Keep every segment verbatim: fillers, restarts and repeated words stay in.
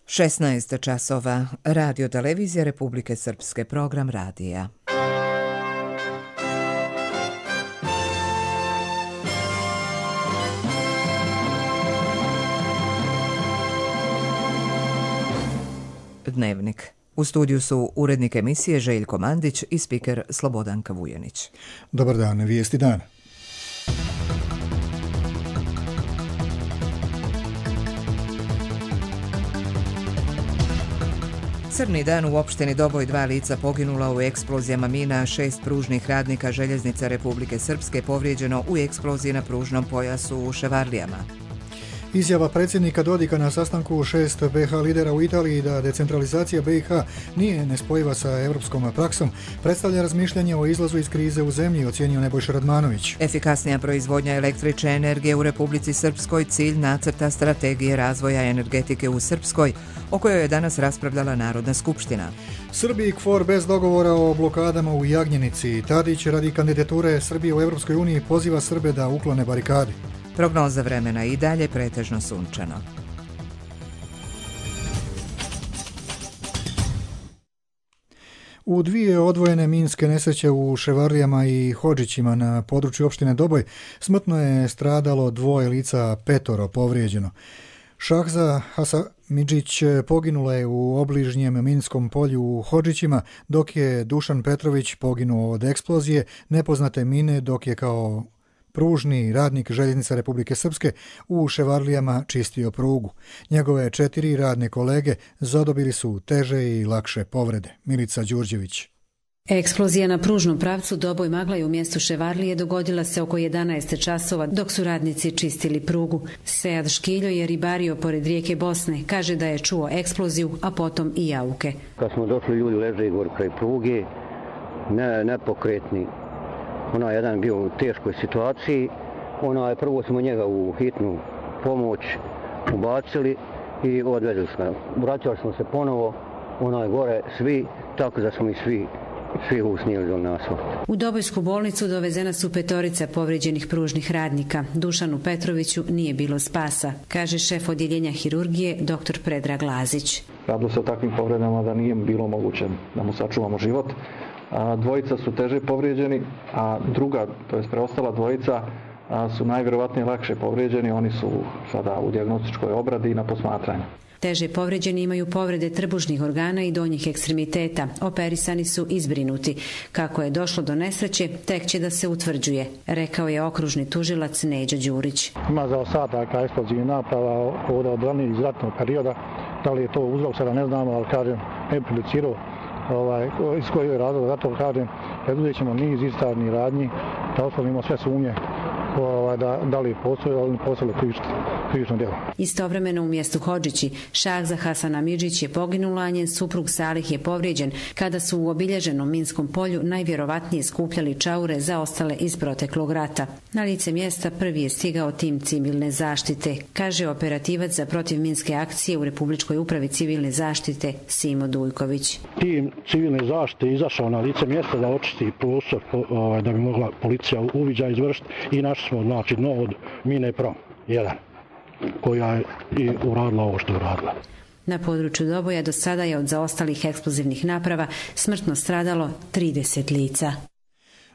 šesnaest časova, Radio televizija Republike Srpske, program radija. Dnevnik. U studiju su urednik emisije Željko Mandić i spiker Slobodanka Vujanić. Dobar dan, vijesti dana. Crni dan u opštini Doboj, dva lica poginula u eksplozijama mina, šest pružnih radnika željeznica Republike Srpske povrijeđeno u eksploziji na pružnom pojasu u Ševarlijama. Izjava predsjednika Dodika na sastanku šest be ha lidera u Italiji da decentralizacija be i ha nije nespojiva sa europskom praksom predstavlja razmišljanje o izlazu iz krize u zemlji, ocijenio Nebojša Radmanović. Efikasnija proizvodnja električne energije u Republici Srpskoj cilj nacrta strategije razvoja energetike u Srpskoj, o kojoj je danas raspravljala Narodna skupština. Srbiji kfor bez dogovora o blokadama u Jagnjenici. Tadić radi kandidature Srbije u Europskoj uniji poziva Srbe da uklone barikade. Prognoza vremena i dalje pretežno sunčano. U dvije odvojene minske nesreće u Ševarlijama i Hodžićima na području opštine Doboj smrtno je stradalo dvoje lica, petoro povrijeđeno. Šahza Hasamidžić poginula je u obližnjem minskom polju u Hodžićima, dok je Dušan Petrović poginuo od eksplozije nepoznate mine, dok je kao pružni radnik željeznica Republike Srpske u Ševarlijama čistio prugu. Njegove četiri radne kolege zadobili su teže i lakše povrede. Milica Đurđević. Eksplozija na pružnom pravcu Doboj Maglaj u mjestu Ševarlije dogodila se oko jedanaest časova dok su radnici čistili prugu. Sead Škiljo je ribario pored rijeke Bosne. Kaže da je čuo eksploziju, a potom i jauke. Kad smo došli, ljudi leže gore kraj pruge, ne, nepokretni. Ona je jedan bio u teškoj situaciji. Ona je prvo smo njega u hitnu pomoć ubacili i odvezli smo. Vraćali smo se ponovo, ona je gore svi, tako da smo i svi svi usnijeli do nas. U Dobojsku bolnicu dovezena su petorica povrijeđenih pružnih radnika. Dušanu Petroviću nije bilo spasa, kaže šef odjeljenja hirurgije dr. Predrag Lazić. Radilo se o takvim povredama da nije bilo moguće da mu sačuvamo život. A dvojica su teže povrijeđeni, a druga, to je preostala dvojica, su najvjerovatnije lakše povrijeđeni. Oni su sada u dijagnostičkoj obradi i na posmatranju. Teže povrijeđeni imaju povrede trbušnih organa i donjih ekstremiteta. Operisani su izbrinuti. Kako je došlo do nesreće, tek će da se utvrđuje, rekao je okružni tužilac Neđo Đurić. Ima za ostataka eksplozivnih naprava od ranijih iz ratnog perioda. Da li je to uzrok, sada ne znamo, ali kažem, ne prejudicirao ovaj, iz kojeg je razloga, zato kažem, preduzet ćemo niz istražnih radnji, da otklonimo sve sumnje Da, da li postoje, ali ne postoje krivično djelo. Istovremeno u mjestu Hodžići, Šahza Hasamidžić je poginula, a njen suprug Salih je povrijeđen kada su u obilježenom minskom polju najvjerovatnije skupljali čaure zaostale iz proteklog rata. Na lice mjesta prvi je stigao tim civilne zaštite, kaže operativac za protivminske akcije u Republičkoj upravi civilne zaštite Simo Dujković. Tim civilne zaštite izašao na lice mjesta da očisti prostor da bi mogla policija uviđaj izvršiti i naš smo, znači, dno od mine Prom jedan, koja je i uradila ovo što je uradila. Na području Doboja do sada je od zaostalih eksplozivnih naprava smrtno stradalo trideset lica.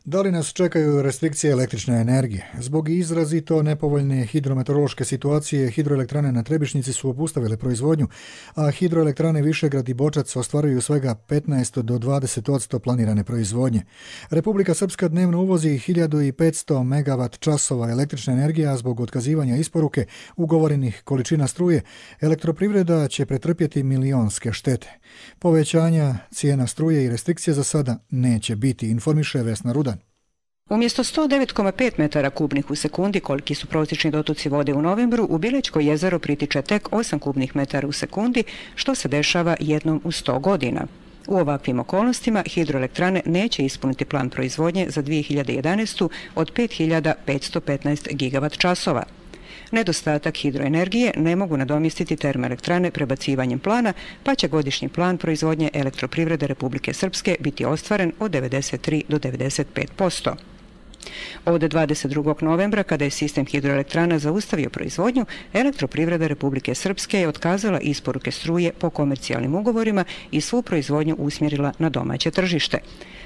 Da li nas čekaju restrikcije električne energije? Zbog izrazito nepovoljne hidrometeorološke situacije, hidroelektrane na Trebišnjici su obustavile proizvodnju, a hidroelektrane Višegrad i Bočac ostvaruju svega petnaest do dvadeset posto planirane proizvodnje. Republika Srpska dnevno uvozi hiljadu petsto megavat časova električne energije, a zbog otkazivanja isporuke ugovorenih količina struje, elektroprivreda će pretrpjeti milionske štete. Povećanja cijena struje i restrikcije za sada neće biti, informiše Vesna Rudan. Umjesto sto devet zarez pet metara kubnih u sekundi, koliki su prosječni dotoci vode u novembru, u Bilećko jezero pritiče tek osam kubnih metara u sekundi, što se dešava jednom u sto godina. U ovakvim okolnostima hidroelektrane neće ispuniti plan proizvodnje za dvije hiljade jedanaestu. od pet hiljada petsto petnaest gigavat časova. Nedostatak hidroenergije ne mogu nadomjestiti termoelektrane prebacivanjem plana, pa će godišnji plan proizvodnje elektroprivrede Republike Srpske biti ostvaren od devedeset tri do devedeset pet posto. Od dvadeset drugog novembra, kada je sistem hidroelektrana zaustavio proizvodnju, Elektroprivreda Republike Srpske je otkazala isporuke struje po komercijalnim ugovorima i svu proizvodnju usmjerila na domaće tržište.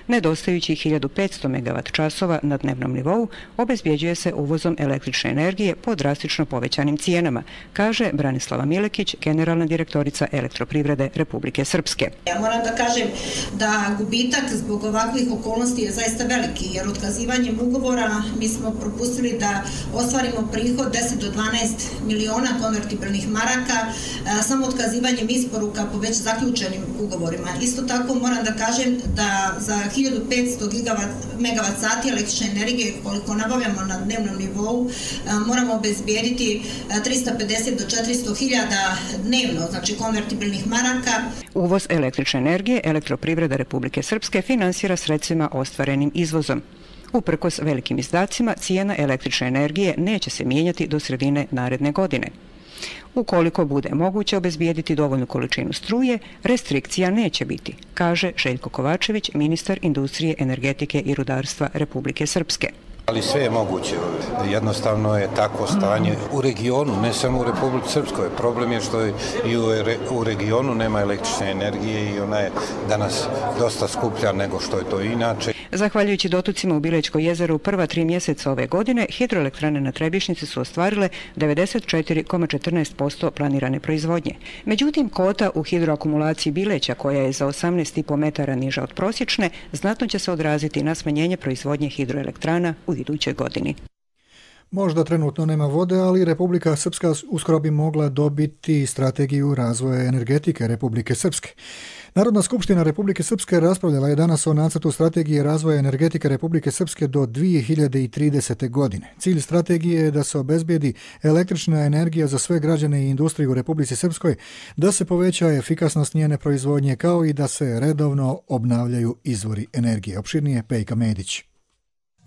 Nedostajući hiljadu petsto megavat časova na dnevnom nivou obezbjeđuje se uvozom električne energije po drastično povećanim cijenama, kaže Branislava Milekić, generalna direktorica Elektroprivrede Republike Srpske. Ja moram da kažem da gubitak zbog ovakvih okolnosti je zaista veliki, jer otkazivanjem ugovora mi smo propustili da ostvarimo prihod deset do dvanaest miliona konvertibilnih maraka samo otkazivanjem isporuka po već zaključenim ugovorima. Isto tako moram da kažem da za hiljadu petsto megavat sati električne energije koliko nabavljamo na dnevnom nivou moramo obezbijediti trista pedeset do četiristo hiljada dnevno, znači konvertibilnih maraka. Uvoz električne energije Elektroprivreda Republike Srpske finansira sredstvima ostvarenim izvozom. Uprkos velikim izdacima, cijena električne energije neće se mijenjati do sredine naredne godine. Ukoliko bude moguće obezbijediti dovoljnu količinu struje, restrikcija neće biti, kaže Željko Kovačević, ministar industrije, energetike i rudarstva Republike Srpske. Ali sve je moguće. Jednostavno je takvo stanje u regionu, ne samo u Republici Srpskoj. Problem je što i u regionu nema električne energije i ona je danas dosta skuplja nego što je to inače. Zahvaljujući dotucima u Bilećko jezero u prva tri mjeseca ove godine, hidroelektrane na Trebišnjici su ostvarile devedeset četiri zarez četrnaest posto planirane proizvodnje. Međutim, kvota u hidroakumulaciji Bileća, koja je za osamnaest zarez pet metara niža od prosječne, znatno će se odraziti na smanjenje proizvodnje hidroelektrana u idućoj godini. Možda trenutno nema vode, ali Republika Srpska uskoro bi mogla dobiti strategiju razvoja energetike Republike Srpske. Narodna skupština Republike Srpske raspravljala je danas o nacrtu strategije razvoja energetike Republike Srpske do dvije hiljade tridesete. godine. Cilj strategije je da se obezbijedi električna energija za sve građane i industriju u Republici Srpskoj, da se poveća efikasnost njene proizvodnje kao i da se redovno obnavljaju izvori energije. Opširnije Pejka Medić.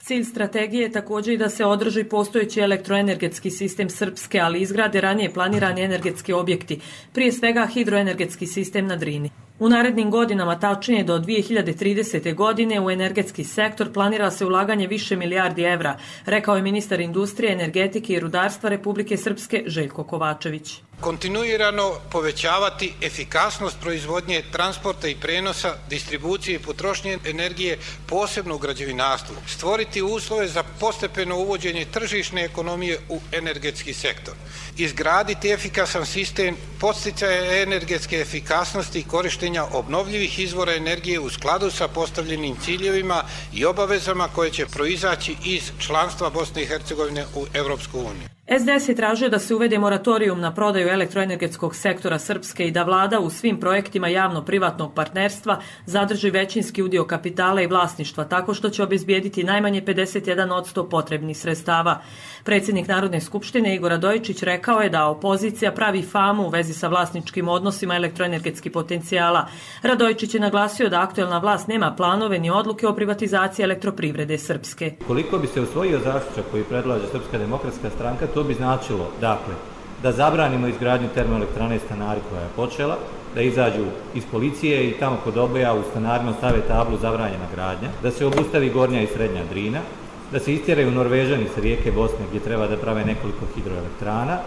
Cilj strategije je također i da se održi postojeći elektroenergetski sistem Srpske, ali izgrade ranije planirani energetski objekti, prije svega hidroenergetski sistem na Drini. U narednim godinama, tačnije do dvije hiljade tridesete. godine, u energetski sektor planira se ulaganje više milijardi evra, rekao je ministar industrije, energetike i rudarstva Republike Srpske Željko Kovačević. Kontinuirano povećavati efikasnost proizvodnje, transporta i prenosa, distribucije i potrošnje energije, posebno u građevinarstvu. Stvoriti uslove za postepeno uvođenje tržišne ekonomije u energetski sektor. Izgraditi efikasan sistem podsticaja energetske efikasnosti i korištenja obnovljivih izvora energije u skladu sa postavljenim ciljevima i obavezama koje će proizaći iz članstva Bosne i Hercegovine u Europsku uniju. S D S je tražio da se uvede moratorijum na prodaju elektroenergetskog sektora Srpske i da vlada u svim projektima javno-privatnog partnerstva zadrži većinski udio kapitala i vlasništva, tako što će obezbijediti najmanje pedeset jedan posto potrebnih sredstava. Predsjednik Narodne skupštine Igor Radojičić rekao je da opozicija pravi famu u vezi sa vlasničkim odnosima elektroenergetskih potencijala. Radojičić je naglasio da aktuelna vlast nema planove ni odluke o privatizaciji Elektroprivrede Srpske. Koliko bi se usvojio zaključak koji predlaže Srpska demokratska stranka, to bi značilo, dakle, da zabranimo izgradnju termoelektrane Stanari koja je počela, da izađu iz policije i tamo kod Oboja u stanarima stave tablu zabranjena gradnja, da se obustavi Gornja i Srednja Drina, da se istjeraju Norvežani s rijeke Bosne gdje treba da prave nekoliko hidroelektrana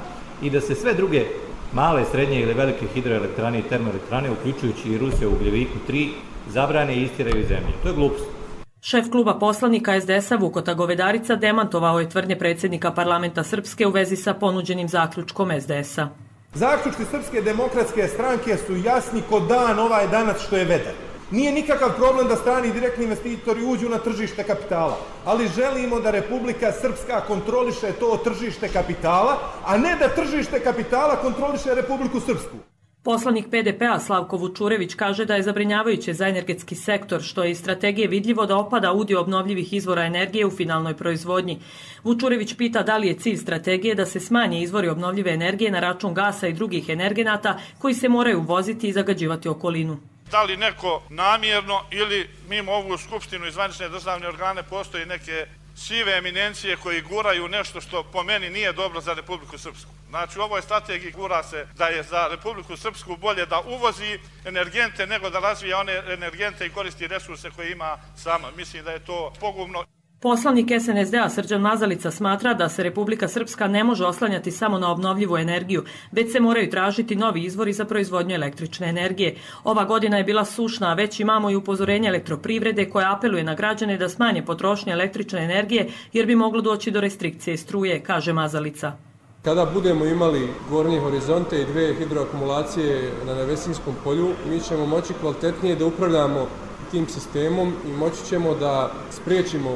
i da se sve druge male, srednje ili velike hidroelektrane i termoelektrane, uključujući i Rusiju u Ugljeviku tri, zabrane i istjeraju iz zemlje. To je glupost. Šef kluba poslanika S D S-a Vukota Govedarica demantovao je tvrdnje predsjednika parlamenta Srpske u vezi sa ponuđenim zaključkom S D S-a. Zaključci Srpske demokratske stranke su jasni ko dan ovaj danas što je vedar. Nije nikakav problem da strani direktni investitori uđu na tržište kapitala, ali želimo da Republika Srpska kontroliše to tržište kapitala, a ne da tržište kapitala kontroliše Republiku Srpsku. Poslanik P D P-a Slavko Vučurević kaže da je zabrinjavajuće za energetski sektor, što je iz strategije vidljivo da opada udio obnovljivih izvora energije u finalnoj proizvodnji. Vučurević pita da li je cilj strategije da se smanje izvori obnovljive energije na račun gasa i drugih energenata koji se moraju uvoziti i zagađivati okolinu. Da li neko namjerno ili mimo ovu skupštinu i zvanične državne organe postoji neke sive eminencije koji guraju nešto što po meni nije dobro za Republiku Srpsku. Znači u ovoj strategiji gura se da je za Republiku Srpsku bolje da uvozi energente nego da razvija one energente i koristi resurse koje ima sama. Mislim da je to pogubno. Poslanik S N S D-a Srđan Mazalica smatra da se Republika Srpska ne može oslanjati samo na obnovljivu energiju, već se moraju tražiti novi izvori za proizvodnju električne energije. Ova godina je bila sušna, a već imamo i upozorenje elektroprivrede koja apeluje na građane da smanje potrošnje električne energije jer bi moglo doći do restrikcije struje, kaže Mazalica. Kada budemo imali gornje horizonte i dve hidroakumulacije na Nevesinskom polju, mi ćemo moći kvalitetnije da upravljamo tim sistemom i moći ćemo da spriječimo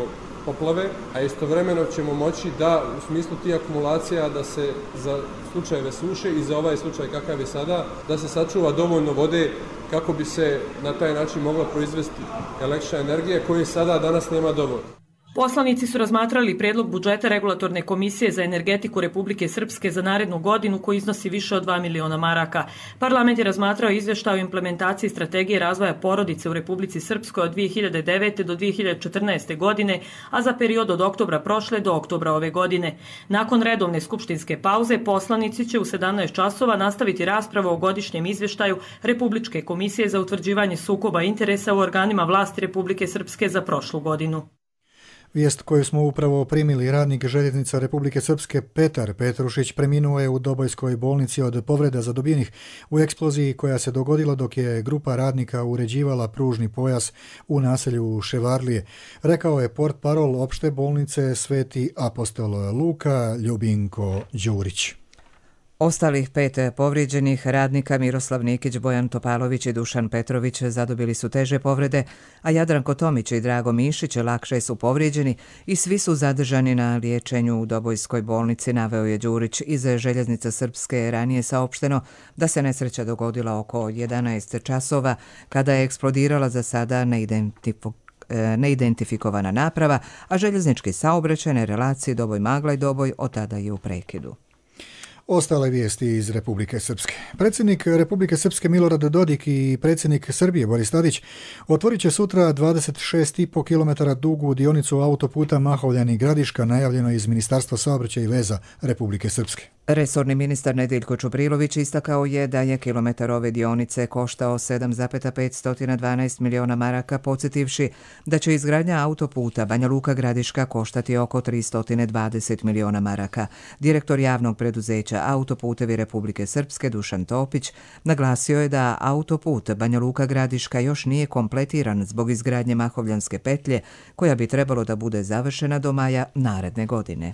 poplave, a istovremeno ćemo moći da u smislu tih akumulacija da se za slučajeve suše i za ovaj slučaj kakav je sada, da se sačuva dovoljno vode kako bi se na taj način mogla proizvesti električna energija koje sada danas nema dovoljno. Poslanici su razmatrali predlog budžeta Regulatorne komisije za energetiku Republike Srpske za narednu godinu koji iznosi više od dva miliona maraka. Parlament je razmatrao izvještaj o implementaciji strategije razvoja porodice u Republici Srpskoj od dvije hiljade devete do dvije hiljade četrnaeste. godine, a za period od oktobra prošle do oktobra ove godine. Nakon redovne skupštinske pauze, poslanici će u sedamnaest časova nastaviti raspravu o godišnjem izvještaju Republičke komisije za utvrđivanje sukoba interesa u organima vlasti Republike Srpske za prošlu godinu. Vijest koju smo upravo primili, radnik željeznica Republike Srpske Petar Petrušić preminuo je u Dobojskoj bolnici od povreda zadobijenih u eksploziji koja se dogodila dok je grupa radnika uređivala pružni pojas u naselju Ševarlije. Rekao je portparol opšte bolnice Sveti apostol Luka Ljubinko Đurić. Ostalih pet povrijeđenih radnika Miroslav Nikić, Bojan Topalović i Dušan Petrović zadobili su teže povrede, a Jadranko Tomić i Drago Mišić lakše su povrijeđeni i svi su zadržani na liječenju u Dobojskoj bolnici, naveo je Đurić. Iz Željeznica Srpske ranije saopšteno da se nesreća dogodila oko jedanaest časova kada je eksplodirala za sada neidentifikovana neidentifikovana naprava, a željeznički saobraćaj na relaciji Doboj-Magla i Doboj od tada je u prekidu. Ostale vijesti iz Republike Srpske. Predsjednik Republike Srpske Milorad Dodik i predsjednik Srbije Boris Tadić otvorit će sutra dvadeset šest i po kilometara dugu dionicu autoputa Mahovljani-Gradiška, najavljeno iz Ministarstva saobraćaja i veza Republike Srpske. Resorni ministar Nedeljko Čuprilović istakao je da je kilometar ove dionice koštao sedam zarez petsto dvanaest miliona maraka, podsjetivši da će izgradnja autoputa Banja Luka-Gradiška koštati oko tristo dvadeset miliona maraka. Direktor javnog preduzeća Autoputevi Republike Srpske Dušan Topić naglasio je da autoput Banja Luka-Gradiška još nije kompletiran zbog izgradnje Mahovljanske petlje koja bi trebalo da bude završena do maja naredne godine.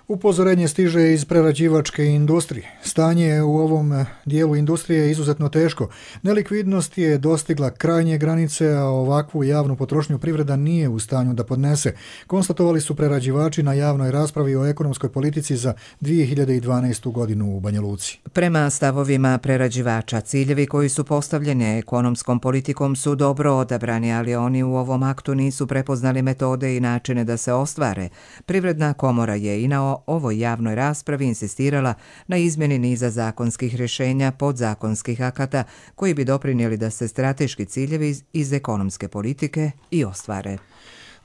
Upozorenje stiže iz prerađivačke industrije. Stanje u ovom dijelu industrije je izuzetno teško. Nelikvidnost je dostigla krajnje granice, a ovakvu javnu potrošnju privreda nije u stanju da podnese, konstatovali su prerađivači na javnoj raspravi o ekonomskoj politici za dvije hiljade dvanaestu. godinu u Banja Luci. Prema stavovima prerađivača, ciljevi koji su postavljeni ekonomskom politikom su dobro odabrani, ali oni u ovom aktu nisu prepoznali metode i načine da se ostvare. Privredna komora je i na ovoj javnoj raspravi insistirala na izmjeni niza zakonskih rješenja, podzakonskih akata koji bi doprinijeli da se strateški ciljevi iz, iz ekonomske politike i ostvare.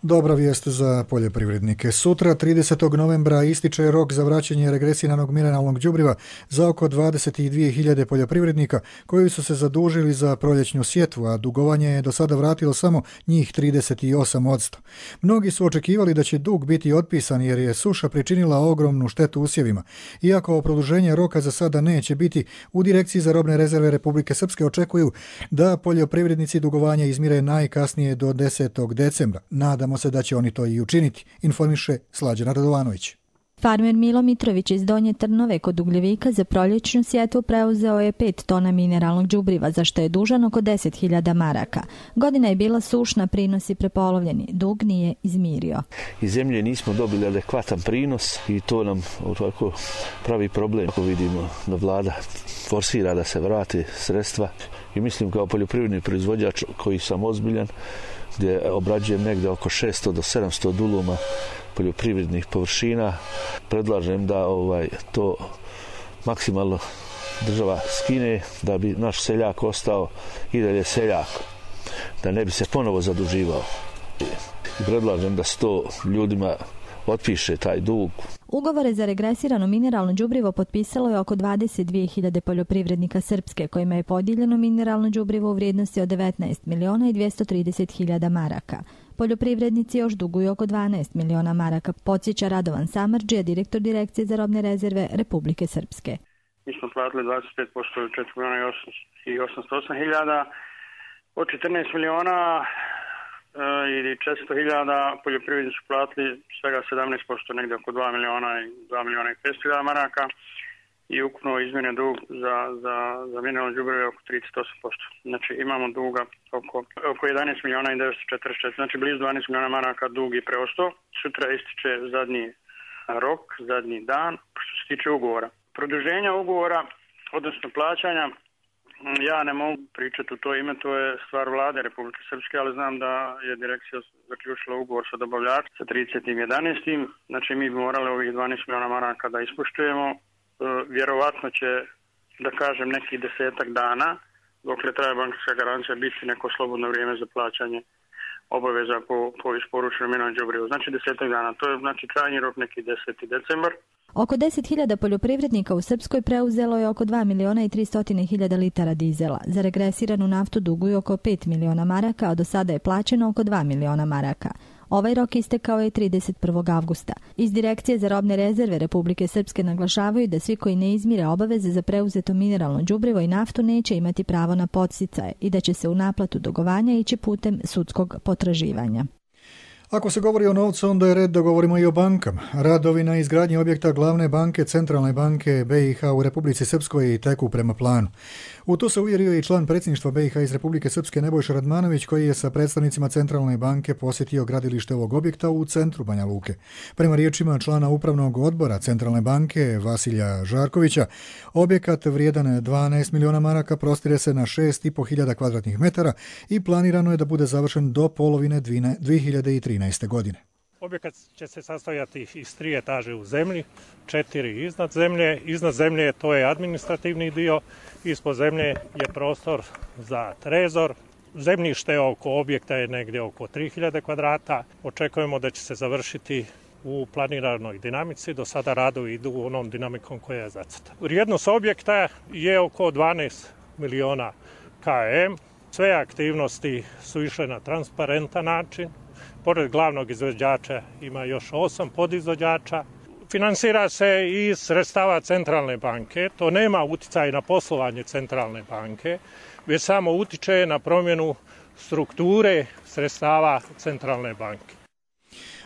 Dobra vijest za poljoprivrednike. Sutra, tridesetog novembra, ističe rok za vraćanje regresiranog mineralnog đubriva za oko dvadeset dvije hiljade poljoprivrednika koji su se zadužili za proljećnu sjetvu, a dugovanje je do sada vratilo samo njih trideset osam posto. Mnogi su očekivali da će dug biti otpisan jer je suša pričinila ogromnu štetu usjevima. Iako produženje roka za sada neće biti, u Direkciji za robne rezerve Republike Srpske očekuju da poljoprivrednici dugovanja izmire najkasnije do desetog decembra. Nadamo se da će oni to i učiniti, informiše Slađana Radovanović. Farmer Milo Mitrović iz Donje Trnove kod Ugljevika za proljećnu sjetvu preuzeo je pet tona mineralnog đubriva, za što je dužan oko deset hiljada maraka. Godina je bila sušna, prinosi prepolovljeni, dug nije izmirio. Iz zemlje nismo dobili adekvatan prinos i to nam ovako pravi problem. Ako vidimo da vlada forsira da se vrati sredstva i mislim kao poljoprivredni proizvođač koji sam ozbiljan, gdje obrađujem negdje oko šesto do sedamsto duluma poljoprivrednih površina, predlažem da ovaj to maksimalno država skine, da bi naš seljak ostao i dalje seljak, da ne bi se ponovo zaduživao. I predlažem da se to ljudima otpiše taj dug. Ugovore za regresirano mineralno đubrivo potpisalo je oko dvadeset dvije hiljade poljoprivrednika Srpske, kojima je podijeljeno mineralno đubrivo u vrijednosti od devetnaest miliona i dvjesto trideset hiljada maraka. Poljoprivrednici još duguju oko dvanaest miliona maraka, podsjeća Radovan Samardžija, direktor Direkcije za robne rezerve Republike Srpske. Mi smo platili dvadeset pet posto ili četiri miliona i osamsto osam hiljada, od četrnaest miliona ili četiristo hiljada poljoprivrednici su platili svega sedamnaest posto, negdje oko dva miliona i dva miliona i petsto hiljada maraka i ukupno izmjene dug za, za, za mineralno đubrivo oko trideset osam posto. Znači imamo duga oko, oko jedanaest miliona i devetsto četrdeset četiri, znači blizu dvanaest miliona maraka dug i preostao. Sutra ističe zadnji rok, zadnji dan, što se tiče ugovora. Produženja ugovora, odnosno plaćanja, ja ne mogu pričati u to ime, to je stvar vlade Republike Srpske, ali znam da je direkcija zaključila ugovor sa dobavljačem sa tridesetim jedanaestim Znači mi bi morali ovih dvanaest miliona maraka da ispoštujemo. E, vjerovatno će, da kažem, neki desetak dana, dokle traje bankarska garancija, biti neko slobodno vrijeme za plaćanje obaveza po, po isporučenom mineralnom đubrivu. Znači desetak dana, to je znači krajnji rok neki deseti decembar. Oko deset hiljada poljoprivrednika u Srpskoj preuzelo je oko dva miliona i tristo hiljada litara dizela. Za regresiranu naftu duguju oko pet miliona maraka, a do sada je plaćeno oko dva miliona maraka. Ovaj rok istekao je trideset prvog avgusta. Iz Direkcije za robne rezerve Republike Srpske naglašavaju da svi koji ne izmire obaveze za preuzeto mineralno đubrivo i naftu neće imati pravo na podsticaje i da će se u naplatu dugovanja ići putem sudskog potraživanja. Ako se govori o novcu, onda je red da govorimo i o bankama. Radovi na izgradnji objekta glavne banke Centralne banke B i H u Republici Srpskoj teku prema planu. U to se uvjerio i član predsjedništva B i H iz Republike Srpske Nebojša Radmanović, koji je sa predstavnicima Centralne banke posjetio gradilište ovog objekta u centru Banja Luke. Prema riječima člana upravnog odbora Centralne banke Vasilja Žarkovića, objekat vrijedan dvanaest miliona maraka prostire se na šest i po hiljada kvadratnih metara i planirano je da bude završen do polovine dvije hiljade trinaeste. godine. Objekat će se sastojati iz tri etaže u zemlji, četiri iznad zemlje. Iznad zemlje to je administrativni dio, ispod zemlje je prostor za trezor. Zemljište oko objekta je negdje oko tri hiljade kvadrata. Očekujemo da će se završiti u planiranoj dinamici. Do sada radovi idu onom dinamikom koja je zacrtana. Vrijednost objekta je oko dvanaest miliona km. Sve aktivnosti su išle na transparentan način. Pored glavnog izvođača ima još osam podizvođača. Finansira se iz sredstava Centralne banke. To nema utjecaj na poslovanje Centralne banke, već samo utiče na promjenu strukture sredstava Centralne banke.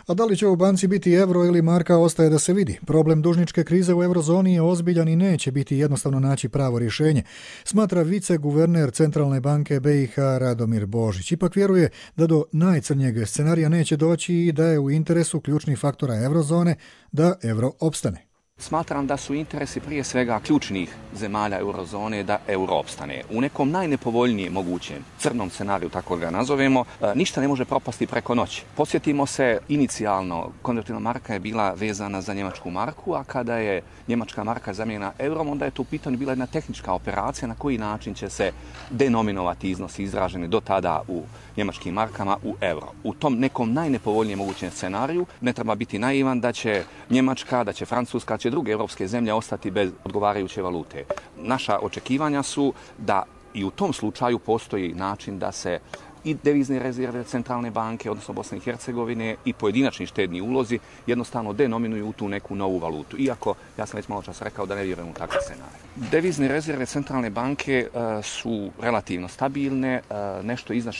A da li će u banci biti euro ili marka ostaje da se vidi. Problem dužničke krize u eurozoni je ozbiljan i neće biti jednostavno naći pravo rješenje, smatra viceguverner Centralne banke B i H Radomir Božić. Ipak vjeruje da do najcrnjeg scenarija neće doći i da je u interesu ključnih faktora eurozone da euro opstane. Smatram da su interesi prije svega ključnih zemalja eurozone da euro opstane. U nekom najnepovoljnijem mogućem crnom scenariju, tako ga nazovemo, ništa ne može propasti preko noći. Podsjetimo se, inicijalno konvertibilna marka je bila vezana za njemačku marku, a kada je njemačka marka zamijenjena eurom, onda je to u pitanju bila jedna tehnička operacija na koji način će se denominovati iznosi izraženi do tada u njemačkim markama u euro. U tom nekom najnepovoljnijem mogućem scenariju ne treba biti naivan da će Njemačka, da će Francuska, će druge europske zemlje ostati bez odgovarajuće valute. Naša očekivanja su da i u tom slučaju postoji način da se i devizne rezerve Centralne banke, odnosno Bosne i Hercegovine, i pojedinačni štedni ulozi jednostavno denominuju u tu neku novu valutu. Iako, ja sam već malo čas rekao da ne vjerujem u takav scenarij. Devizne rezerve Centralne banke uh, su relativno stabilne, uh, nešto iznad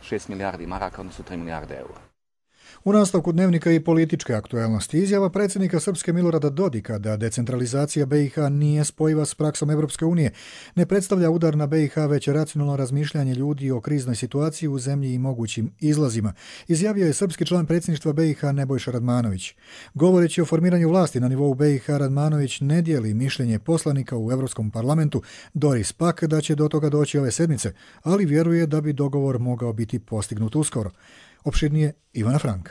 šest milijardi maraka, odnosno tri milijarde eura. U nastavku dnevnika i političke aktualnosti izjava predsjednika Srpske Milorada Dodika da decentralizacija B i H nije spojiva s praksom Europske unije ne predstavlja udar na B i H, već racionalno razmišljanje ljudi o kriznoj situaciji u zemlji i mogućim izlazima, izjavio je srpski član predsjedništva B i H Nebojša Radmanović. Govoreći o formiranju vlasti na nivou B i H, Radmanović ne dijeli mišljenje poslanika u Europskom parlamentu Doris Pack da će do toga doći ove sedmice, ali vjeruje da bi dogovor mogao biti postignut uskoro. Opširnije Ivana Frank.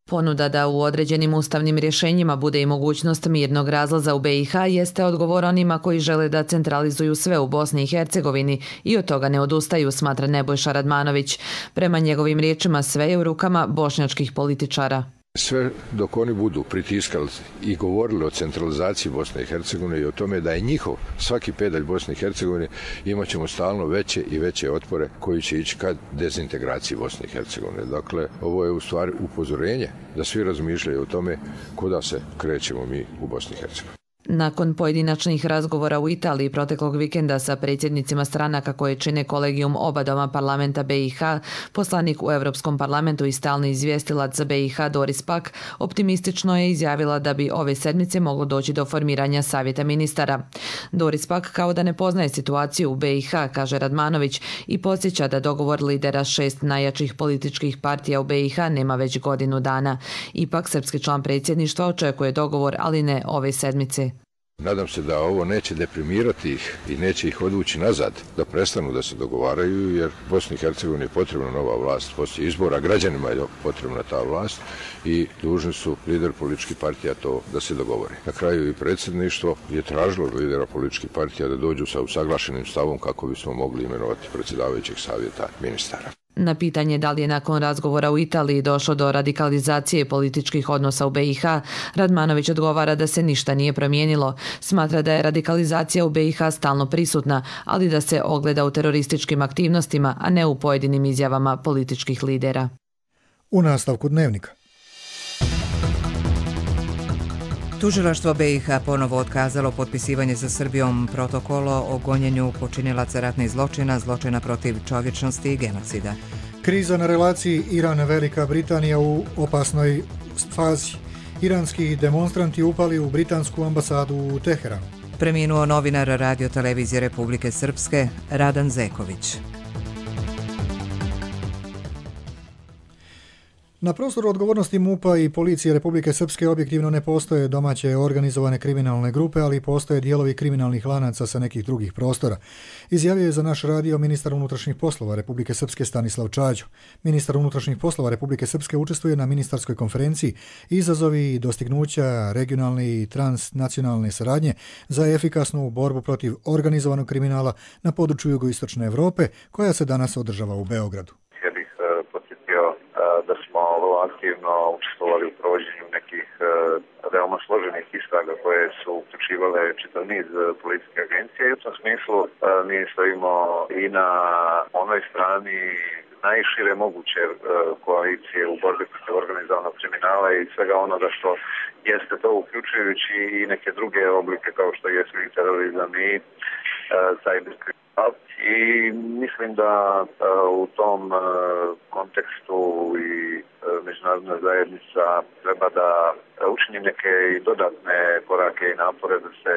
Ponuda da u određenim ustavnim rješenjima bude i mogućnost mirnog razlaza u B i H jeste odgovor onima koji žele da centralizuju sve u Bosni i Hercegovini i od toga ne odustaju, smatra Nebojša Radmanović. Prema njegovim riječima sve je u rukama bošnjačkih političara. Sve dok oni budu pritiskali i govorili o centralizaciji Bosne i Hercegovine i o tome da je njihov svaki pedalj Bosne i Hercegovine, imat ćemo stalno veće i veće otpore koji će ići ka dezintegraciji Bosne i Hercegovine. Dakle, ovo je u stvari upozorenje da svi razmišljaju o tome kuda se krećemo mi u Bosni i Hercegovini. Nakon pojedinačnih razgovora u Italiji proteklog vikenda sa predsjednicima stranaka koje čine kolegijum oba doma parlamenta B i H, poslanik u Europskom parlamentu i stalni izvjestilac za B i H Doris Pack optimistično je izjavila da bi ove sedmice moglo doći do formiranja savjeta ministara. Doris Pack kao da ne poznaje situaciju u B i H, kaže Radmanović, i podsjeća da dogovor lidera šest najjačih političkih partija u B i H nema već godinu dana. Ipak, srpski član predsjedništva očekuje dogovor, ali ne ove sedmice. Nadam se da ovo neće deprimirati ih i neće ih odvući nazad, da prestanu da se dogovaraju, jer Bosni i Hercegovini je potrebna nova vlast, poslije izbora građanima je potrebna ta vlast i dužni su lider političkih partija to da se dogovori. Na kraju i predsjedništvo je tražilo lidera političkih partija da dođu sa usaglašenim stavom kako bismo mogli imenovati predsjedavajućeg savjeta ministara. Na pitanje da li je nakon razgovora u Italiji došlo do radikalizacije političkih odnosa u B i H, Radmanović odgovara da se ništa nije promijenilo. Smatra da je radikalizacija u B i H stalno prisutna, ali da se ogleda u terorističkim aktivnostima, a ne u pojedinim izjavama političkih lidera. U nastavku Dnevnika. Tužilaštvo B i H ponovo otkazalo potpisivanje sa Srbijom protokolo o gonjenju počinilaca ratnih zločina, zločina protiv čovječnosti i genocida. Kriza na relaciji Iran-Velika Britanija u opasnoj fazi. Iranski demonstranti upali u britansku ambasadu u Teheranu. Preminuo novinar Radio televizije Republike Srpske Radan Zeković. Na prostoru odgovornosti MUP-a i policije Republike Srpske objektivno ne postoje domaće organizovane kriminalne grupe, ali postoje dijelovi kriminalnih lanaca sa nekih drugih prostora. Izjavio je za naš radio ministar unutrašnjih poslova Republike Srpske Stanislav Čađo. Ministar unutrašnjih poslova Republike Srpske učestvuje na ministarskoj konferenciji Izazovi i dostignuća regionalne i transnacionalne saradnje za efikasnu borbu protiv organizovanog kriminala na području jugoistočne Europe, koja se danas održava u Beogradu. Da smo vrlo aktivno učestvovali u provođenju nekih veoma složenih istraga koje su uključivale čitav niz policijskih agencija i u tom smislu mi stojimo i na onoj strani najšire moguće koalicije u borbi protiv organizovanog kriminala i svega onoga što jeste to, uključujući i neke druge oblike kao što jesu i terorizam i cyber kriminal. I mislim da u tom kontekstu i međunarodna zajednica treba da učini neke i dodatne korake i napore da se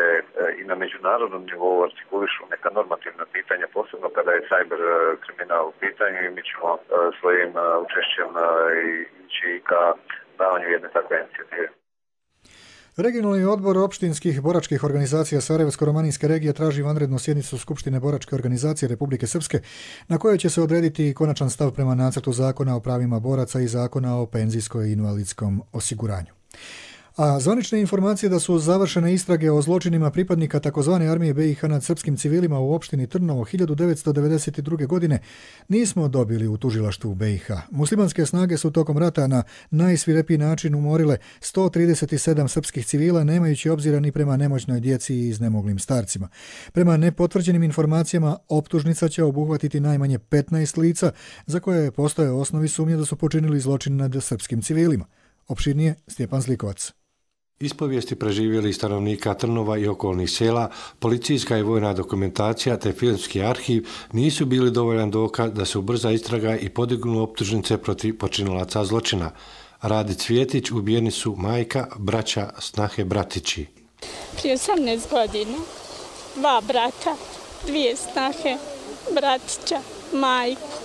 i na međunarodnom nivou artikulišu neka normativna pitanja, posebno kada je cyber kriminal u pitanju i mi ćemo svojim učešćem ići ka davanju jedne takve inicijative. Regionalni odbor opštinskih boračkih organizacija Sarajevsko-romaninske regije traži vanrednu sjednicu Skupštine boračke organizacije Republike Srpske, na kojoj će se odrediti konačan stav prema nacrtu zakona o pravima boraca i zakona o penzijskoj i invalidskom osiguranju. A zvanične informacije da su završene istrage o zločinima pripadnika takozvane armije B i H nad srpskim civilima u opštini Trnovo hiljadu devetsto devedeset druge. godine nismo dobili u tužilaštvu B i H. Muslimanske snage su tokom rata na najsvirepiji način umorile sto trideset sedam srpskih civila, nemajući obzira ni prema nemoćnoj djeci i iznemoglim starcima. Prema nepotvrđenim informacijama, optužnica će obuhvatiti najmanje petnaest lica za koje postoje osnovi sumnje da su počinili zločin nad srpskim civilima. Opširnije Stjepan Zlikovac. Ispovijesti preživjeli stanovnika Trnova i okolnih sela, policijska i vojna dokumentacija te filmski arhiv nisu bili dovoljan dokaz da se ubrza istraga i podignu optužnice protiv počinilaca zločina. Radi Cvjetić ubijeni su majka, braća, snahe, bratići. Prije osamnaest godina, dva brata, dvije snahe, bratića, majku,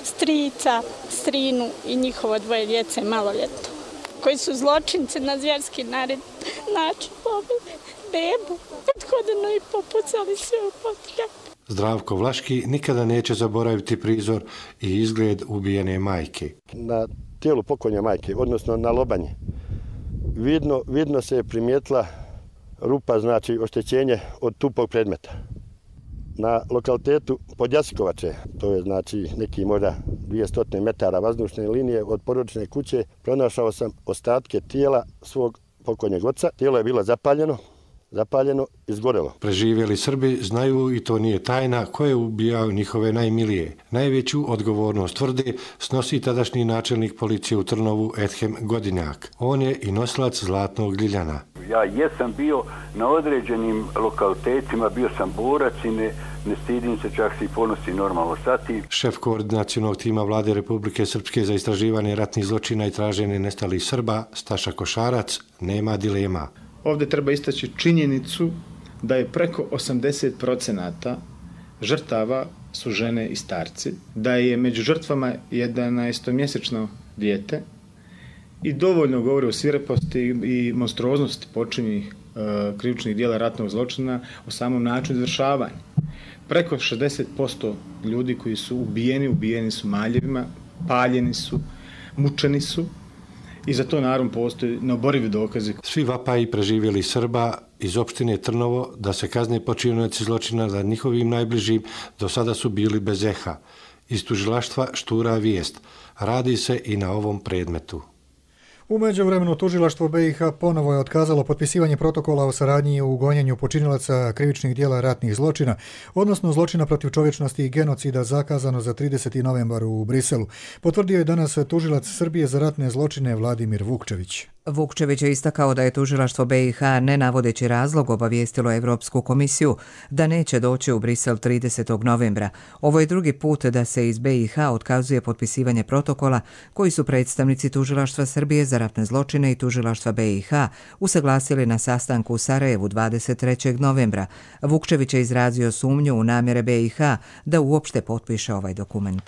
strica, strinu i njihovo dvoje djece maloljetno, koji su zločinci na zvjerski način pobili bebu, odhodeno i popucali sve u potljak. Zdravko Vlaški nikada neće zaboraviti prizor i izgled ubijene majke. Na tijelu pokojne majke, odnosno na lobanje, vidno, vidno se je primijetila rupa, znači oštećenje od tupog predmeta. na lokalitetu Podjasikovače, to je znači neki možda dvjesto metara vazdušne linije od porodične kuće, pronašao sam ostatke tijela svog pokojnog oca. Tijelo je bilo zapaljeno, zapaljeno, izgorelo. Preživjeli Srbi znaju, i to nije tajna, ko je ubijao njihove najmilije. Najveću odgovornost tvrde snosi tadašnji načelnik policije u Trnovu Edhem Godinjak. On je i nosilac Zlatnog ljiljana. Ja jesam bio na određenim lokalitetima, bio sam borac i ne, ne stidim se, čak se i ponosi normalno sati. Šef koordinacionog tima Vlade Republike Srpske za istraživanje ratnih zločina i traženje nestalih Srba, Staša Košarac, nema dilema. Ovdje treba istaći činjenicu da je preko osamdeset procenata žrtava su žene i starci, da je među žrtvama jedanaestomjesečno dijete i dovoljno govori o svireposti i monstruoznosti počinjenih e, krivičnih djela ratnog zločina, o samom načinu izvršavanja. Preko šezdeset posto ljudi koji su ubijeni, ubijeni su maljevima, paljeni su, mučeni su. I za to naravno postoji neoborivi dokazi. Svi vapaji preživjeli Srba iz opštine Trnovo da se kazne počinioci zločina nad njihovim najbližim do sada su bili bez eha. Iz tužilaštva štura vijest. Radi se i na ovom predmetu. U međuvremenu tužilaštvo B i H ponovo je otkazalo potpisivanje protokola o saradnji u gonjenju počinilaca krivičnih djela ratnih zločina, odnosno zločina protiv čovječnosti i genocida zakazano za trideseti novembar u Briselu. Potvrdio je danas tužilac Srbije za ratne zločine Vladimir Vukčević. Vukčević je istakao da je tužilaštvo B i H, ne navodeći razlog, obavijestilo Evropsku komisiju da neće doći u Brisel tridesetog novembra. Ovo je drugi put da se iz B i H otkazuje potpisivanje protokola koji su predstavnici tužilaštva Srbije za ratne zločine i tužilaštva B i H usaglasili na sastanku u Sarajevu dvadeset trećeg novembra. Vukčević je izrazio sumnju u namjere B i H da uopšte potpiše ovaj dokument.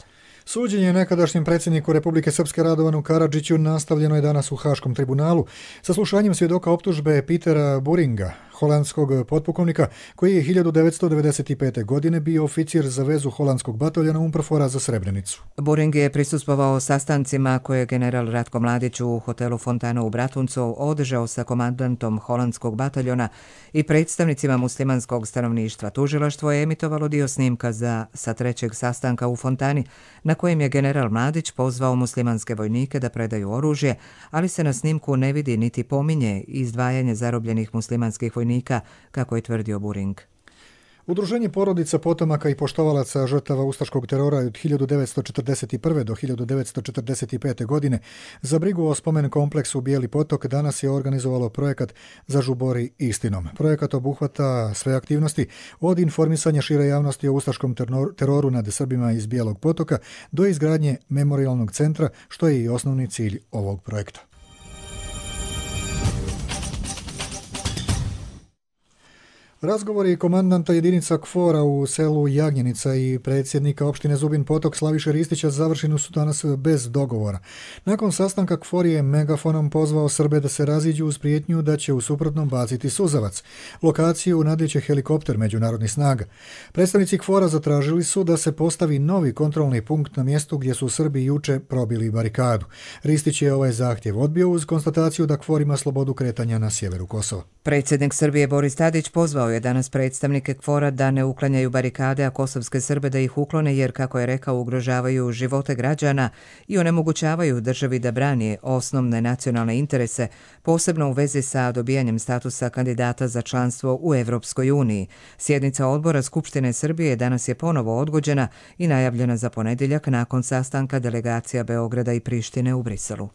Suđenje nekadašnjem predsjedniku Republike Srpske Radovanu Karadžiću nastavljeno je danas u Haškom tribunalu saslušanjem svjedoka optužbe Petera Buringa, holandskog potpukovnika, koji je hiljadu devetsto devedeset pete. godine bio oficir za vezu holandskog bataljona Umprofora za Srebrenicu. Buring je prisustvovao sastancima koje je general Ratko Mladić u hotelu Fontana u Bratuncu održao sa komandantom holandskog bataljona i predstavnicima muslimanskog stanovništva. Tužilaštvo je emitovalo dio snimka za sa trećeg sastanka u Fontani, na kojem je general Mladić pozvao muslimanske vojnike da predaju oružje, ali se na snimku ne vidi niti pominje izdvajanje zarobljenih muslimanskih vojnika, kako je tvrdio Buring. Udruženje porodica potomaka i poštovalaca žrtava ustaškog terora od hiljadu devetsto četrdeset prve. do hiljadu devetsto četrdeset pete. godine za brigu o spomen kompleksu Bijeli potok danas je organizovalo projekat Zažubori istinom. Projekat obuhvata sve aktivnosti od informisanja šire javnosti o ustaškom teroru nad Srbima iz Bijelog potoka do izgradnje memorialnog centra, što je i osnovni cilj ovog projekta. Razgovori komandanta jedinica KFOR-a u selu Jagnjenica i predsjednika opštine Zubin Potok Slaviše Ristića završeni su danas bez dogovora. Nakon sastanka KFOR je megafonom pozvao Srbe da se raziđu uz prijetnju da će u suprotnom baciti suzavac. Lokaciju nadlijeće helikopter međunarodnih snaga. Predstavnici KFOR-a zatražili su da se postavi novi kontrolni punkt na mjestu gdje su Srbi juče probili barikadu. Ristić je ovaj zahtjev odbio uz konstataciju da KFOR ima slobodu kretanja na sjeveru Kosova. Predsjednik Srbije Boris Tadić pozvao je danas predstavnike KFOR-a da ne uklanjaju barikade, a kosovske Srbe da ih uklone jer, kako je rekao, ugrožavaju živote građana i onemogućavaju državi da brani osnovne nacionalne interese, posebno u vezi sa dobijanjem statusa kandidata za članstvo u Evropskoj uniji. Sjednica odbora Skupštine Srbije danas je ponovo odgođena i najavljena za ponedjeljak nakon sastanka delegacija Beograda i Prištine u Briselu.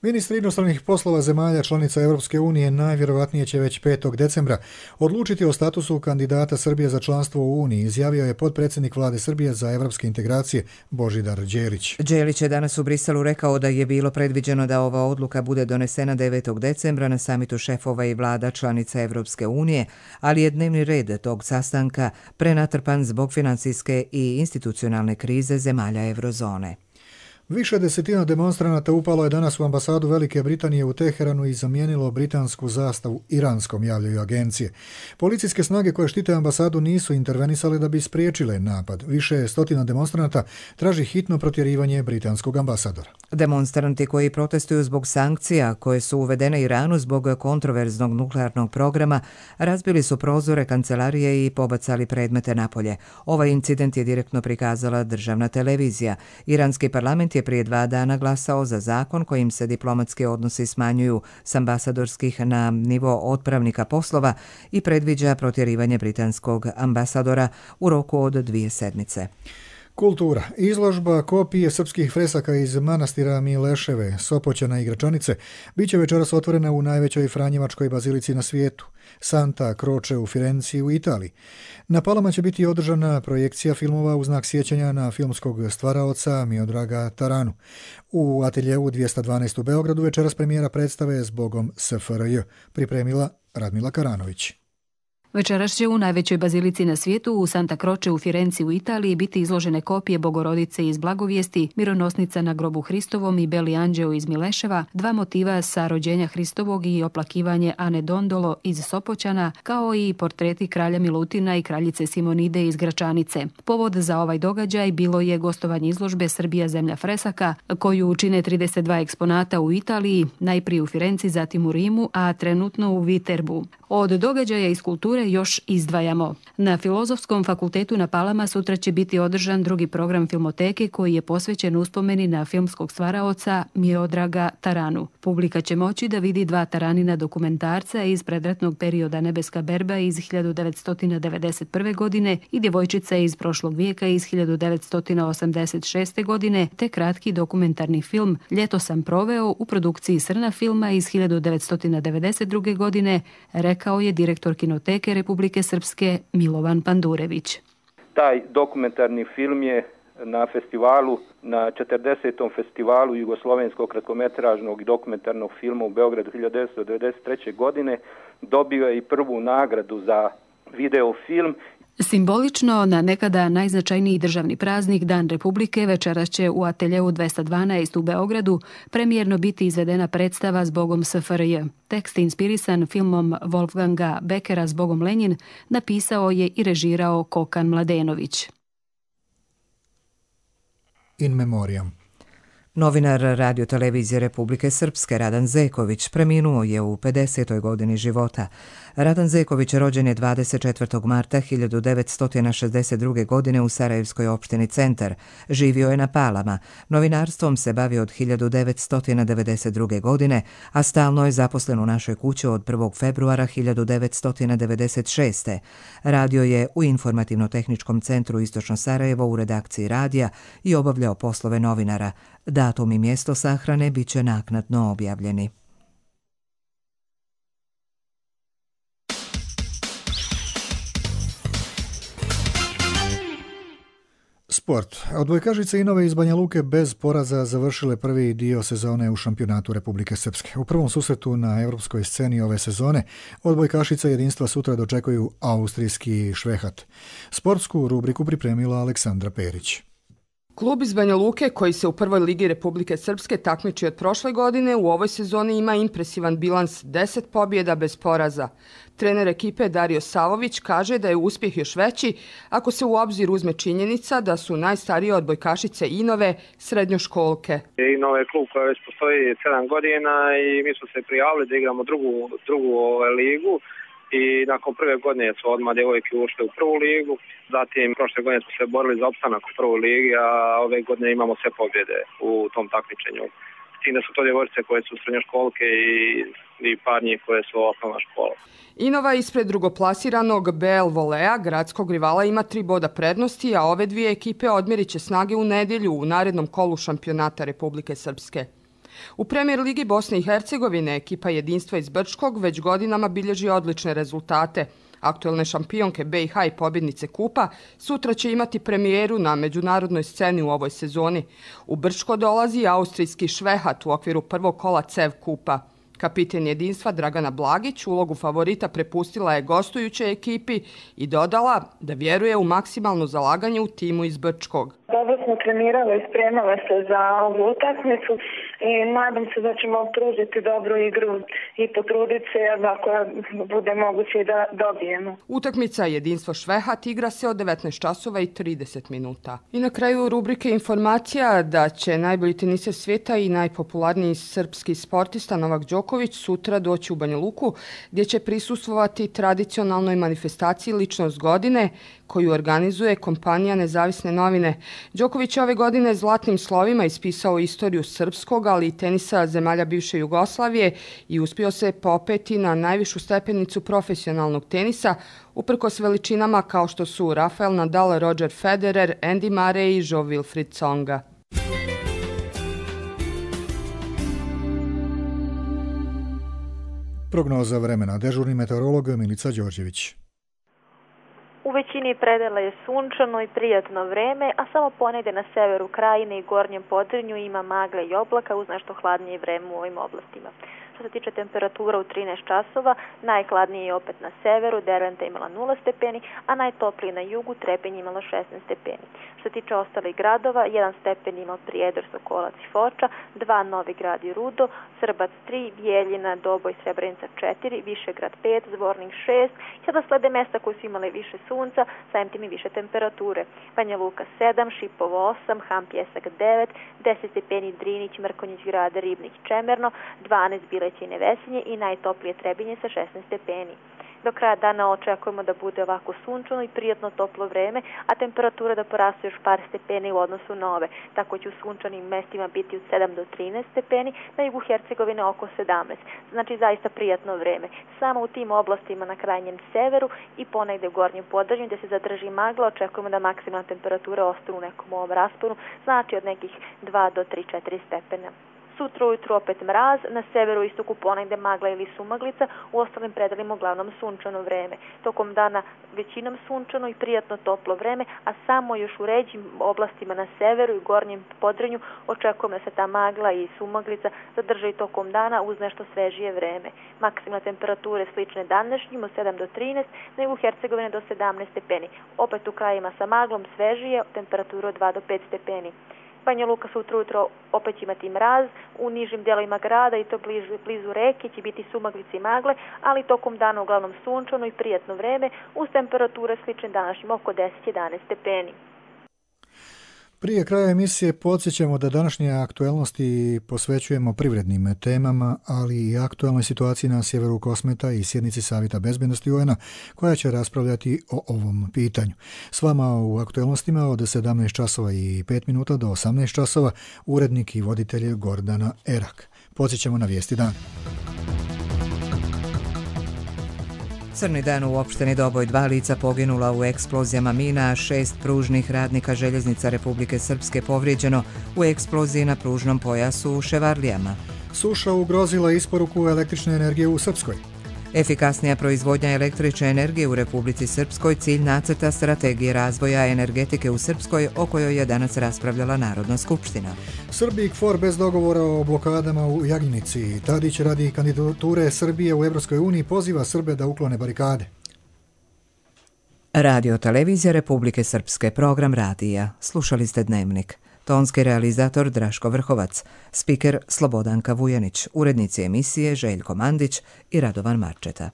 Ministri inostranih poslova zemalja članica Evropske unije najvjerovatnije će već petog decembra odlučiti o statusu kandidata Srbije za članstvo u Uniji, izjavio je potpredsjednik Vlade Srbije za evropske integracije Božidar Đelić. Đelić je danas u Briselu rekao da je bilo predviđeno da ova odluka bude donesena devetog decembra na samitu šefova i vlada članica Evropske unije, ali je dnevni red tog sastanka prenatrpan zbog financijske i institucionalne krize zemalja eurozone. Više desetina demonstranata upalo je danas u ambasadu Velike Britanije u Teheranu i zamijenilo britansku zastavu iranskom, javljaju agencije. Policijske snage koje štite ambasadu nisu intervenisale da bi spriječile napad. Više stotina demonstranata traži hitno protjerivanje britanskog ambasadora. Demonstranti koji protestuju zbog sankcija koje su uvedene Iranu zbog kontroverznog nuklearnog programa razbili su prozore kancelarije i pobacali predmete napolje. Ovaj incident je direktno prikazala državna televizija. Iranski parlament je prije dva dana glasao za zakon kojim se diplomatski odnosi smanjuju s ambasadorskih na nivo otpravnika poslova i predviđa protjerivanje britanskog ambasadora u roku od dvije sedmice. Kultura. Izložba kopije srpskih fresaka iz manastira Mileševe, Sopoćana i Gračanice bit će večeras otvorena u najvećoj franjevačkoj bazilici na svijetu, Santa Croce u Firenci u Italiji. Na Palama će biti održana projekcija filmova u znak sjećanja na filmskog stvaraoca Miodraga Taranu. U ateljevu dvjesto dvanaest u Beogradu večeras premijera predstave Zbogom S F R J, pripremila Radmila Karanović. Večeras će u najvećoj bazilici na svijetu, u Santa Croce u Firenci u Italiji, biti izložene kopije Bogorodice iz Blagovijesti, Mironosnica na grobu Hristovom i Beli anđeo iz Mileševa, dva motiva sa rođenja Hristovog i oplakivanje Ane Dondolo iz Sopoćana, kao i portreti kralja Milutina i kraljice Simonide iz Gračanice. Povod za ovaj događaj bilo je gostovanje izložbe Srbija zemlja fresaka, koju čine trideset dva eksponata u Italiji, najprije u Firenci, zatim u Rimu, a trenutno u Viterbu. Od događaja iz kulture još izdvajamo. Na Filozofskom fakultetu na Palama sutra će biti održan drugi program filmoteke koji je posvećen uspomeni na filmskog stvaraoca Miodraga Taranu. Publika će moći da vidi dva Taranina dokumentarca iz predratnog perioda Nebeska berba iz hiljadu devetsto devedeset prve. godine i Djevojčica iz prošlog vijeka iz hiljadu devetsto osamdeset šeste. godine, te kratki dokumentarni film Ljeto sam proveo u produkciji Srna filma iz hiljadu devetsto devedeset druge. godine, rekao je direktor kinoteke Republike Srpske Milovan Pandurević. Taj dokumentarni film je na festivalu, na četrdesetom festivalu jugoslovenskog kratkometražnog i dokumentarnog filma u Beogradu hiljadu devetsto devedeset treće. godine dobio je i prvu nagradu za videofilm. Simbolično, na nekada najznačajniji državni praznik, Dan Republike, večeras će u ateljeu dvjesto dvanaest u Beogradu premijerno biti izvedena predstava Zbogom S F R J. Tekst inspirisan filmom Wolfganga Beckera Zbogom Lenjin napisao je i režirao Kokan Mladenović. In memoriam. Novinar radiotelevizije Republike Srpske Radan Zeković preminuo je u pedesetoj godini života. Radan Zeković rođen je dvadeset četvrtog marta hiljadu devetsto šezdeset druge. godine u Sarajevskoj opštini Centar. Živio je na Palama. Novinarstvom se bavio od hiljadu devetsto devedeset druge. godine, a stalno je zaposlen u našoj kući od prvog februara hiljadu devetsto devedeset šeste. Radio je u Informativno-tehničkom centru Istočno Sarajevo u redakciji radija i obavljao poslove novinara. Datum i mjesto sahrane bit će naknadno objavljeni. Sport. Odbojkašice Inove iz Banja Luke bez poraza završile prvi dio sezone u šampionatu Republike Srpske. U prvom susretu na europskoj sceni ove sezone odbojkašice jedinstva sutra dočekuju austrijski Švehat. Sportsku rubriku pripremila Aleksandra Perić. Klub iz Banja Luke, koji se u prvoj ligi Republike Srpske takmiči od prošle godine, u ovoj sezoni ima impresivan bilans deset pobjeda bez poraza. Trener ekipe Dario Savović kaže da je uspjeh još veći ako se u obzir uzme činjenica da su najstarije odbojkašice Inove srednjoškolke. Inove je klub koja već postoji sedam godina i mi smo se prijavili da igramo drugu, drugu ovaj, ligu. I nakon prve godine su odmah djevojke ušle u prvu ligu, zatim prošle godine smo se borili za opstanak u prvoj ligi, a ove godine imamo sve pobjede u tom takmičenju. S tim da su to djevojčice koje su srednjoškolke i, i par njih koje su osnovna škola. Inova ispred drugoplasiranog B L Volea, gradskog rivala, ima tri boda prednosti, a ove dvije ekipe odmjerit će snage u nedjelju u narednom kolu šampionata Republike Srpske. U Premier ligi Bosne i Hercegovine ekipa jedinstva iz Brčkog već godinama bilježi odlične rezultate. Aktuelne šampionke B i H i pobjednice kupa sutra će imati premijeru na međunarodnoj sceni u ovoj sezoni. U Brčko dolazi austrijski Švehat u okviru prvog kola C E V kupa. Kapiten jedinstva Dragana Blagić ulogu favorita prepustila je gostujućoj ekipi i dodala da vjeruje u maksimalno zalaganje u timu iz Brčkog. Dobro smo trenirali i spremali se za ovu utakmicu i nadam se da ćemo pružiti dobru igru i potruditi se ako bude moguće da dobijemo. Utakmica Jedinstvo Švehat igra se od devetnaest časova i trideset minuta. I na kraju rubrike informacija da će najbolji teniser svijeta i najpopularniji srpski sportista Novak Đoković sutra doći u Banja Luku gdje će prisustvovati tradicionalnoj manifestaciji Ličnost godine koju organizuje kompanija Nezavisne novine. Đoković je ove godine zlatnim slovima ispisao istoriju srpskog, ali i tenisa zemalja bivše Jugoslavije i uspio se popeti na najvišu stepenicu profesionalnog tenisa, uprkos veličinama kao što su Rafael Nadal, Roger Federer, Andy Murray i Jo-Wilfried Tsonga. Prognoza vremena. Dežurni meteorolog Milica Đorđević. U većini predela je sunčano i prijatno vreme, a samo ponegde na severu krajine i gornjem Podrinju ima magle i oblaka uz nešto hladnije vreme u ovim oblastima. Što se tiče temperatura u trinaest časova, najhladnije je opet na severu, Derventa imala nula stepeni, a najtoplije na jugu, Trepenj imala šesnaest stepeni. Što se tiče ostalih gradova, jedan stepen ima Prijedor, Sokolac i Foča, dva Novi Grad i Rudo, Srbac tri, Bijeljina, Doboj, Srebrenica četiri, Višegrad pet, Zvornik šest, sada slede mesta koji su imale više sunca, samim tim i više temperature. Banja Luka sedam, Šipovo osam, Ham Pjesak devet, deset stepeni Drinić, Mrkonjić Grad, Ribnik, Čemerno, dvanaest Bilećine, Vesinje i najtoplije Trebinje sa šesnaest stepeni. Do kraja dana očekujemo da bude ovako sunčano i prijatno toplo vreme, a temperatura da poraste još par stepeni u odnosu na ove. Tako će u sunčanim mestima biti od sedam do trinaest stepeni, na jugu Hercegovine oko sedamnaest. Znači zaista prijatno vreme. Samo u tim oblastima na krajnjem severu i ponegde u gornjem Podrinju gdje se zadrži magla, očekujemo da maksimalna temperatura ostane u nekom ovom rasponu, znači od nekih dva do tri četiri stepena. Sutra ujutru opet mraz, na severu i istoku ponegde magla ili sumaglica, u ostalim predelima uglavnom sunčano vreme. Tokom dana većinom sunčano i prijatno toplo vreme, a samo još u ređim oblastima na severu i gornjem Podrinju očekujemo da se ta magla i sumaglica zadrže i tokom dana uz nešto svežije vreme. Maksimalne temperature slične današnjim od sedam do trinaest, na jugu Hercegovine do sedamnaest stepeni. Opet u krajima sa maglom svežije, temperatura od dva do pet stepeni. Banja Luka sutra ujutro opet će imati mraz, u nižim delovima grada i to blizu, blizu reke će biti sumaglice i magle, ali tokom dana uglavnom sunčano i prijatno vreme uz temperature slične današnjim oko deset do jedanaest stepeni. Prije kraja emisije podsjećamo da današnje aktuelnosti posvećujemo privrednim temama, ali i aktualnoj situaciji na sjeveru Kosmeta i sjednici Savjeta bezbednosti U N-a koja će raspravljati o ovom pitanju. S vama u aktuelnostima od sedamnaest časova i pet minuta do osamnaest časova urednik i voditelj Gordana Erak. Podsjećamo na vijesti dana. Crni dan u opštini Doboj, dva lica poginula u eksplozijama mina, a šest pružnih radnika željeznica Republike Srpske povrijeđeno u eksploziji na pružnom pojasu u Ševarlijama. Suša ugrozila isporuku električne energije u Srpskoj. Efikasnija proizvodnja električne energije u Republici Srpskoj cilj nacrta strategije razvoja energetike u Srpskoj o kojoj je danas raspravljala Narodna skupština. Srbiji KFOR bez dogovora o blokadama u Jagnjenici. Tadić radi kandidature Srbije u Evropskoj uniji poziva Srbe da uklone barikade. Radio Televizija Republike Srpske, program radija. Slušali ste Dnevnik. Tonski realizator Draško Vrhovac, spiker Slobodanka Vujanić, urednici emisije Željko Mandić i Radovan Marčeta.